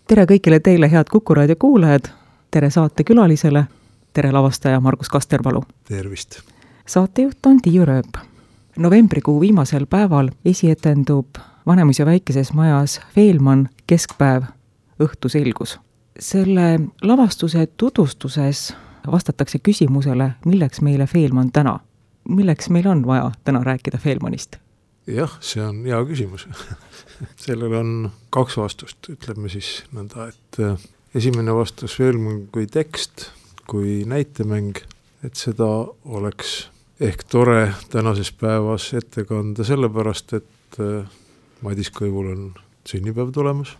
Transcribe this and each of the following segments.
Tere kõigile teile, head Kuku raadio kuulajad, tere saate külalisele, tere lavastaja Margus Kasterpalu. Tervist! Saatejuht on Tiiu Rööp. Novembrikuu viimasel päeval esietendub Vanemuise väikeses majas Feelmann Keskpäev õhtu selgus. Selle lavastuse tutvustuses vastatakse küsimusele, milleks meile Feelmann täna. Milleks meil on vaja täna rääkida Feelmannist? Jah, see on hea küsimus. Sellel on 2 vastust, ütleme siis nõnda, et esimene vastus Feelmann kui tekst, kui näitemäng, et seda oleks ehk tore tänases päevas ette kanda sellepärast, et Madis Kõivul on sünnipäev tulemas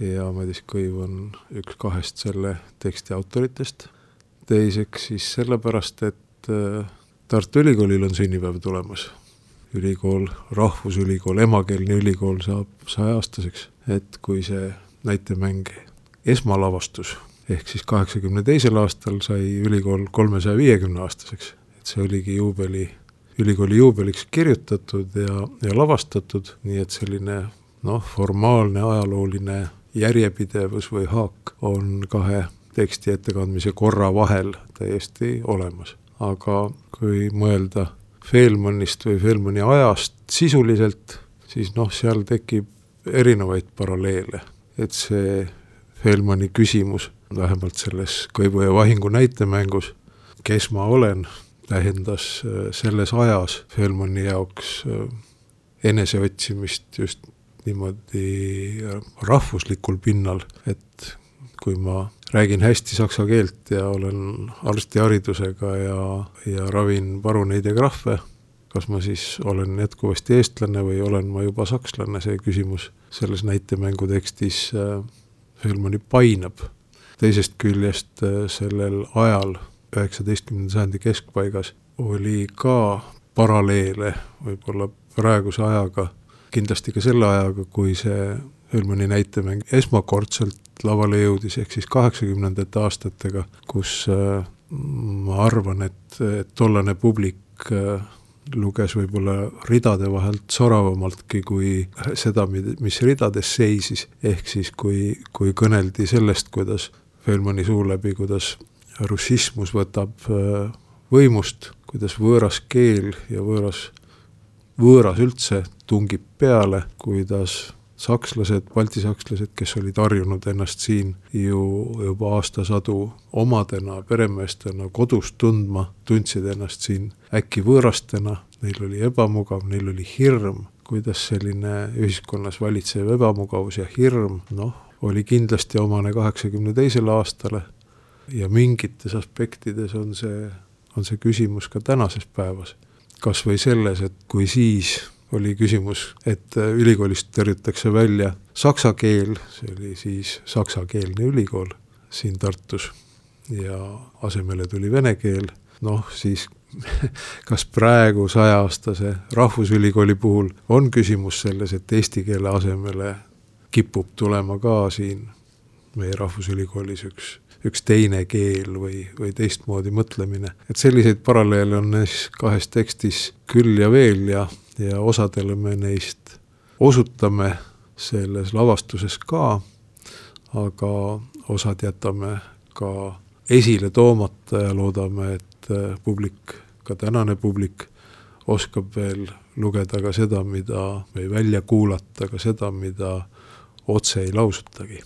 ja Madis Kõiv on üks 2 selle teksti autoritest. Teiseks siis sellepärast, et Tartu Ülikoolil on sünnipäev tulemas. Ülikool, rahvusülikool, emakeelne ülikool saab 100-aastaseks, et kui see näitemäng esmalavastus ehk siis 82. aastal sai ülikool 350-aastaseks, et see oligi ülikooli juubeliks kirjutatud ja lavastatud, nii et selline formaalne ajalooline järjepidevus või haak on 2 teksti ettekandmise korra vahel täiesti olemas. Aga kui mõelda Feelmannist või Feelmanni ajast sisuliselt, siis seal tekib erinevaid paralleele. Et see Feelmanni küsimus, vähemalt selles Kõivu ja vahingu näitemängus, kes ma olen, tähendas selles ajas Feelmanni jaoks eneseotsimist just niimoodi rahvuslikul pinnal, et kui ma räägin hästi saksa keelt ja olen arstiharidusega ja ravin paruneid ja krahve, kas ma siis olen jätkuvasti eestlane või olen ma juba sakslane, see küsimus selles näitemängu tekstis Feelmanni painab. Teisest küljest sellel ajal, 19. sajandi keskpaigas, oli ka paralleele võib-olla praeguse ajaga, kindlasti ka selle ajaga, kui see Feelmanni näitemäng esmakordselt lavale jõudis, ehk siis 80. aastatega, kus ma arvan, et tollane publik luges võib-olla ridade vahelt soravamaltki kui seda, mis ridades seisis, ehk siis kui kõneldi sellest, kuidas Feelmanni suu läbi, kuidas russismus võtab võimust, kuidas võõras keel ja võõras üldse tungib peale, kuidas sakslased, baltisakslased, kes olid harjunud ennast siin ju juba aastasadu omadena, peremeestena, kodus tundma, tundsid ennast siin äkki võõrastena, neil oli ebamugav, neil oli hirm, kuidas selline ühiskonnas valitsev ebamugavus ja hirm, oli kindlasti omane 82. aastale ja mingites aspektides on see küsimus ka tänases päevas. Kas või selles, et kui siis oli küsimus, et ülikoolist tõrjutakse välja saksa keel, see oli siis saksakeelne ülikool siin Tartus ja asemele tuli vene keel, siis kas praegu 100-aastase rahvusülikooli puhul on küsimus selles, et eesti keele asemele kipub tulema ka siin meie rahvusülikoolis üks teine keel või teistmoodi mõtlemine. Et selliseid paralleele on neis 2 tekstis küll ja veel ja osadele me neist osutame selles lavastuses ka, aga osad jätame ka esile toomata ja loodame, et publik, ka tänane publik, oskab veel lugeda ka seda, või välja kuulata ka seda, mida otse ei lausutagi.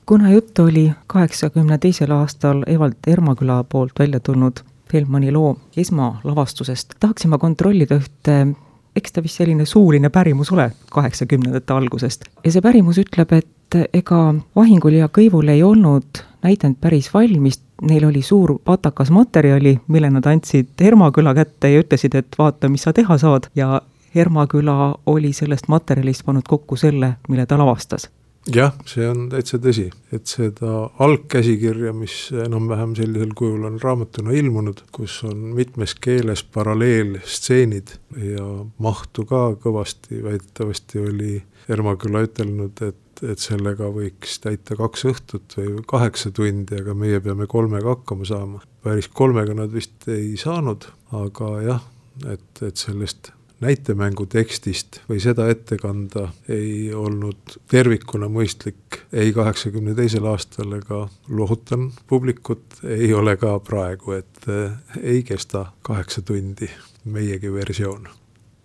Kuna jutt oli 82. aastal Evald Ermaküla poolt välja tulnud Feelmanni loo esmalavastusest, tahaksin ma kontrollida ühte, eks ta vist selline suuline pärimus ole 80. algusest. Ja see pärimus ütleb, et ega Vahingul ja Kõivul ei olnud näidend päris valmis, neil oli suur patakas materjali, mille nad andsid Ermaküla kätte ja ütlesid, et vaata, mis sa teha saad. Ja Ermaküla oli sellest materjalist pannud kokku selle, mille ta lavastas. Jah, see on täitsa tõsi, et seda algkäsikirja, mis enam-vähem sellisel kujul on raamatuna ilmunud, kus on mitmes keeles paralleelstseenid ja mahtu ka kõvasti, väidetavasti oli Ermaküla ütelnud, et sellega võiks täita 2 õhtut või 8 tundi, aga meie peame 3-ga hakkama saama. Päris 3-ga nad vist ei saanud, aga jah, et sellest näitemängu tekstist või seda ette kanda ei olnud tervikuna mõistlik ei 82. aastal ega lohutan publikut, ei ole ka praegu, et ei kesta 8 tundi meiegi versioon.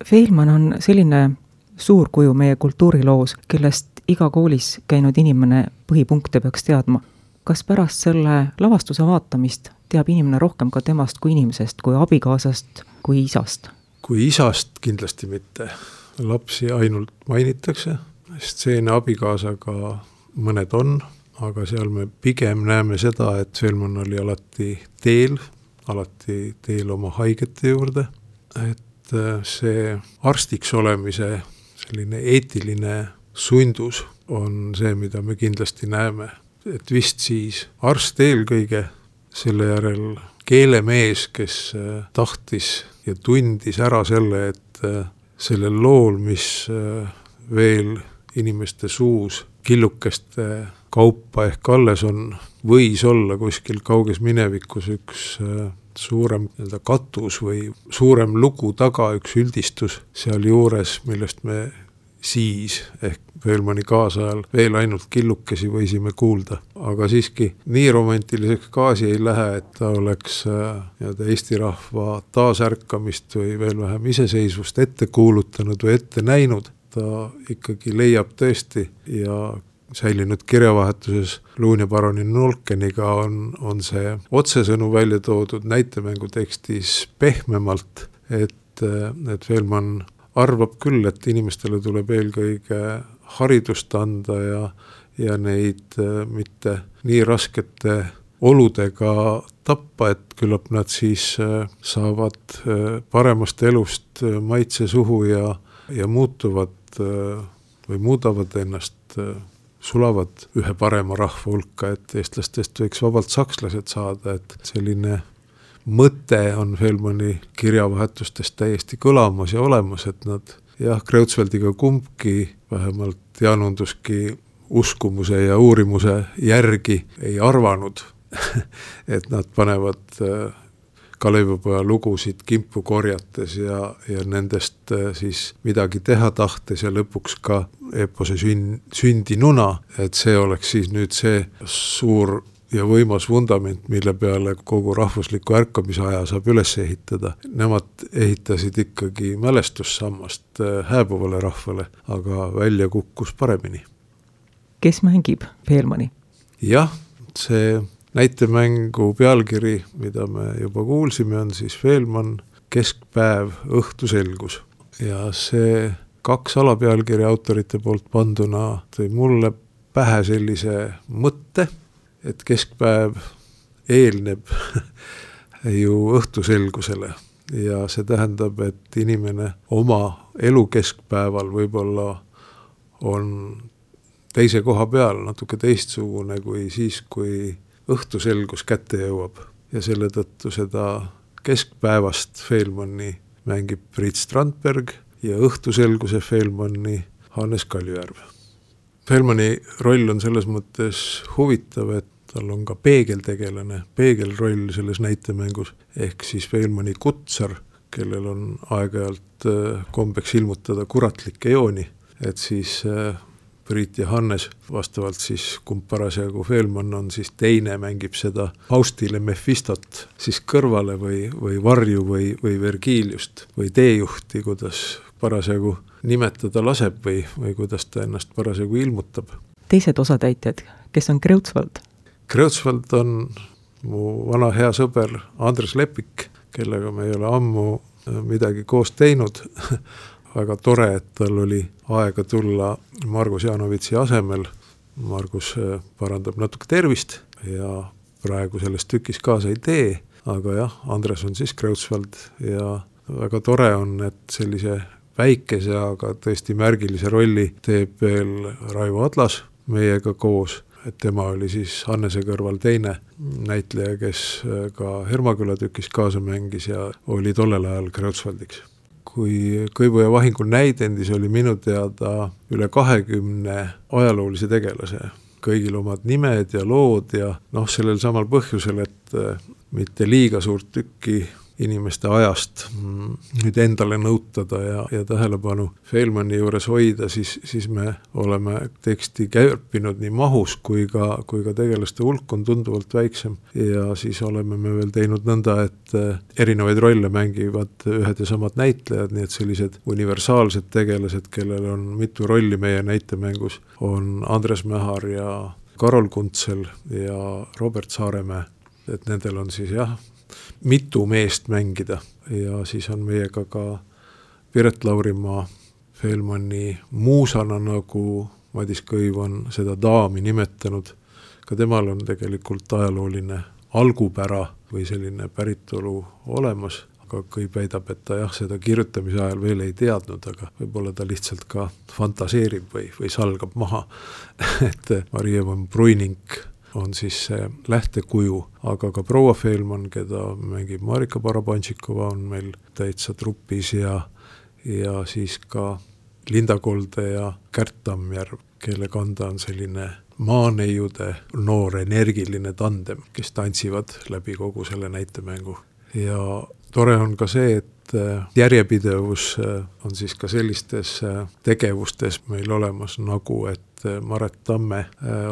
Fehlman on selline suur kuju meie kultuuriloos, kellest iga koolis käinud inimene põhipunkte peaks teadma. Kas pärast selle lavastuse vaatamist teab inimene rohkem ka temast kui inimesest, kui abikaasast, kui isast? Kui isast kindlasti mitte. Lapsi ainult mainitakse, stseene abikaasaga mõned on, aga seal me pigem näeme seda, et Fehlman oli alati teel oma haigete juurde, et see arstiks olemise selline eetiline sundus on see, mida me kindlasti näeme. Et vist siis arst eelkõige, selle järel keelemees, kes tahtis ja tundis ära selle, et sellel lool, mis veel inimeste suus killukeste kaupa ehk alles on, võis olla kuskil kauges minevikus üks suurem katus või suurem lugu taga, üks üldistus seal juures, millest me siis ehk Fehlmani kaasajal veel ainult killukesi võisime kuulda. Aga siiski nii romantiliseks gaasi ei lähe, et ta oleks Eesti rahva taasärkamist või veel vähem iseseisvust ette kuulutanud või ette näinud. Ta ikkagi leiab tõesti ja säilinud kirjavahetuses Luun ja baronin Nolkeniga on see otsesõnu välja toodud näitemängu tekstis pehmemalt, et Fehlman arvab küll, et inimestele tuleb eelkõige haridust anda ja neid mitte nii raskete oludega tappa, et küllap nad siis saavad paremast elust maitse suhu ja muutuvad või muudavad ennast, sulavad ühe parema rahva hulka, et eestlastest võiks vabalt sakslased saada, et selline mõte on Fehlmani kirjavahetustest täiesti kõlamas ja olemas, et nad Kreutzwaldiga kumbki, vähemalt Jaanunduski uskumuse ja uurimuse järgi ei arvanud, et nad panevad Kalevipoja lugusid kimpu korjates ja nendest siis midagi teha tahtes ja lõpuks ka eepose sündinuna, et see oleks siis nüüd see suur ja võimas vundament, mille peale kogu rahvusliku ärkamise aja saab üles ehitada. Nemad ehitasid ikkagi mälestussammast hääbuvale rahvale, aga välja kukkus paremini. Kes mängib Fehlmani? Jah, see näitemängu pealkiri, mida me juba kuulsime, on siis Fehlman, keskpäev, õhtuselgus. Ja see 2 alapealkirja autorite poolt panduna tõi mulle pähe sellise mõtte, et keskpäev eelneb ju õhtuselgusele ja see tähendab, et inimene oma elu keskpäeval võib-olla on teise koha peal natuke teistsugune kui siis, kui õhtuselgus kätte jõuab ja selle tõttu seda keskpäevast Fehlmani mängib Priit Strandberg ja õhtuselguse Fehlmani Hannes Kaljujärv. Fehlmani roll on selles mõttes huvitav, et tal on ka peegeltegelane, peegelroll selles näitemängus, ehk siis Fehlmani kutsar, kellel on aeg-ajalt kombeks ilmutada kuratlikke jooni, et siis Priit ja Hannes vastavalt siis, kumb parasjagu Fehlman on, siis teine mängib seda Faustile Mephistot siis kõrvale või varju või Vergiliust või teejuhti, kuidas parasjagu nimetada laseb või kuidas ta ennast parasjagu ilmutab. Teised osatäitjad, kes on Kreutzwald? Kreutzwald on mu vana hea sõber Andres Lepik, kellega me ei ole ammu midagi koos teinud. Väga tore, et tal oli aega tulla Margus Jaanovitsi asemel. Margus parandab natuke tervist ja praegu selles tükis kaasa ei tee, aga jah, Andres on siis Kreutzwald ja väga tore on, et sellise väikese, aga tõesti märgilise rolli teeb veel Raivo Adlas meiega koos, et tema oli siis Hannese kõrval teine näitleja, kes ka Hermaküla tükis kaasa mängis ja oli tollel ajal Kreutzwaldiks. Kui Kõivu ja vahingu näidendis oli minu teada üle 20 ajaloolise tegelase, kõigil omad nimed ja lood ja sellel samal põhjusel, et mitte liiga suurt tükki inimeste ajast nüüd endale nõutada ja tähelepanu Feilmanni juures hoida, siis me oleme teksti kärpinud nii mahus kui ka tegelaste hulk on tunduvalt väiksem ja siis oleme me veel teinud nõnda, et erinevaid rolle mängivad ühed ja samad näitlejad, nii et sellised universaalsed tegelased, kellel on mitu rolli meie näitemängus, on Andres Mähar ja Karol Kuntsel ja Robert Saaremäe, et nendel on siis mitu meest mängida ja siis on meiega ka Piret Laurimaa Feilmanni muusana, nagu Madis Kõiv on seda daami nimetanud. Ka temal on tegelikult ajalooline algupära või selline päritolu olemas, aga Kõiv väidab, et ta seda kirjutamise ajal veel ei teadnud, aga võib-olla ta lihtsalt ka fantaseerib või salgab maha, et Marie von Breuning on siis see lähtekuju, aga ka proua Feilmann, keda mängib Marika Barabantšikova, on meil täitsa trupis ja siis ka Linda Kolde ja Kärt Tammjärv, kelle kanda on selline maaneiude noor energiline tandem, kes tantsivad läbi kogu selle näitemängu. Ja tore on ka see, et järjepidevus on siis ka sellistes tegevustes meil olemas, nagu et Maret Tamme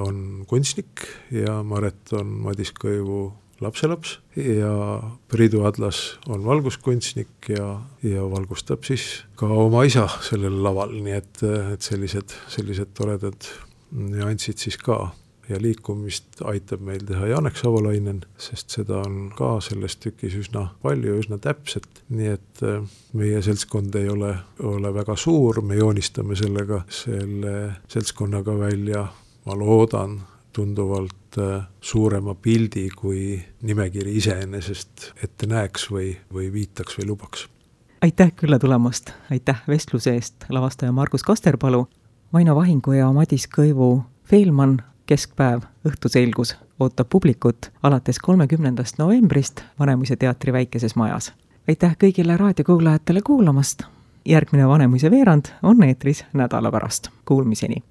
on kunstnik ja Maret on Madis Kõivu lapselaps ja Priidu Adlas on valguskunstnik ja valgustab siis ka oma isa sellel laval, nii et sellised toredad nüansid siis ka. Ja liikumist aitab meil teha Janek Savolainen, sest seda on ka selles tükis üsna palju, üsna täpselt, nii et meie seltskond ei ole väga suur, me joonistame selle seltskonnaga välja, ma loodan, tunduvalt suurema pildi, kui nimekiri iseenesest ette näeks või viitaks või lubaks. Aitäh külla tulemast, aitäh vestluse eest, lavastaja Margus Kasterpalu, Vaino Vahingu ja Madis Kõivu Feilmann. Keskpäev õhtuselgus ootab publikut alates 30. novembrist Vanemuise teatri väikeses majas. Aitäh kõigile raadiokuulajatele kuulamast. Järgmine Vanemuise veerand on eetris nädala pärast. Kuulmiseni!